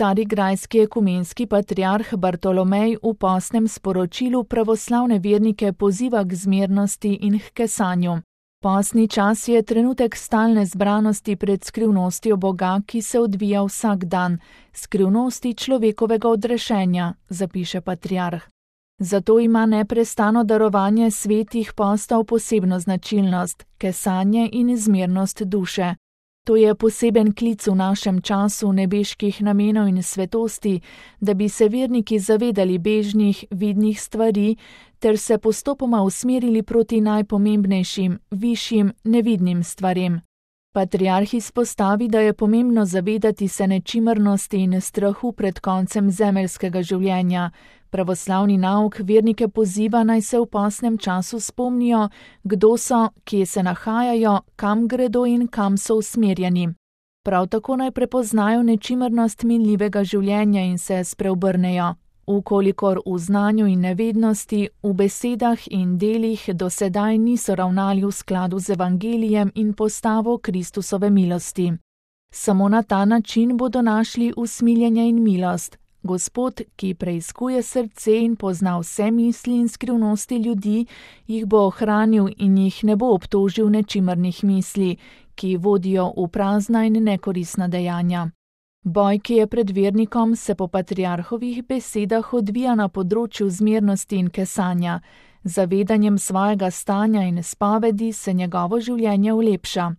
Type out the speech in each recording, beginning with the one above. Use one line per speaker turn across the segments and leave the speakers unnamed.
carigrajski ekumenski patriarh Bartolomej v postnem sporočilu pravoslavne vernike poziva k zmernosti in k kesanju. Postni čas je trenutek stalne zbranosti pred skrivnostjo Boga, ki se odvija vsak dan, skrivnosti človekovega odrešenja, zapiše patriarh. Zato ima neprestano darovanje svetih postov posebno značilnost, kesanje in zmernost duše. To je poseben klic v našem času nebeških namenov in svetosti, da bi se verniki zavedali bežnih, vidnih stvari, ter se postopoma usmerili proti najpomembnejšim, višjim, nevidnim stvarem. Patriarh izpostavi, da je pomembno zavedati se nečimrnosti in strahu pred koncem zemeljskega življenja. Pravoslavni nauk vernike poziva, naj se v postnem času spomnijo, kdo so, kje se nahajajo, kam gredo in kam so usmerjeni. Prav tako naj prepoznajo nečimrnost minljivega življenja in se spreobrnejo. Ukolikor v znanju in nevednosti, v besedah in delih do sedaj niso ravnali v skladu z evangelijem in postavo Kristusove milosti. Samo na ta način bodo našli usmiljenje in milost. Gospod, ki preiskuje srce in pozna vse misli in skrivnosti ljudi, jih bo ohranil in jih ne bo obtožil nečimrnih misli, ki vodijo v prazna in nekoristna dejanja. Boj, ki je pred vernikom, se po patriarhovih besedah odvija na področju zmernosti in kesanja. Zavedanjem svojega stanja in spovedi se njegovo življenje ulepša.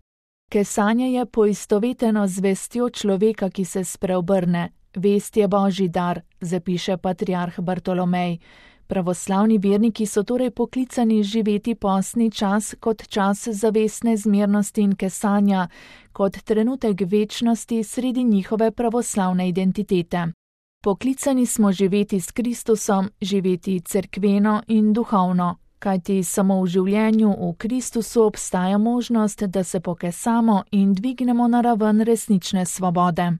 Kesanje je poistoveteno z vestjo človeka, ki se spreobrne. Vest je Božji dar, zapiše patriarh Bartolomej. Pravoslavni verniki so torej poklicani živeti postni čas kot čas zavestne zmernosti in kesanja, kot trenutek večnosti sredi njihove pravoslavne identitete. Poklicani smo živeti s Kristusom, živeti cerkveno in duhovno, kajti samo v življenju v Kristusu obstaja možnost, da se pokesamo in dvignemo na raven resnične svobode.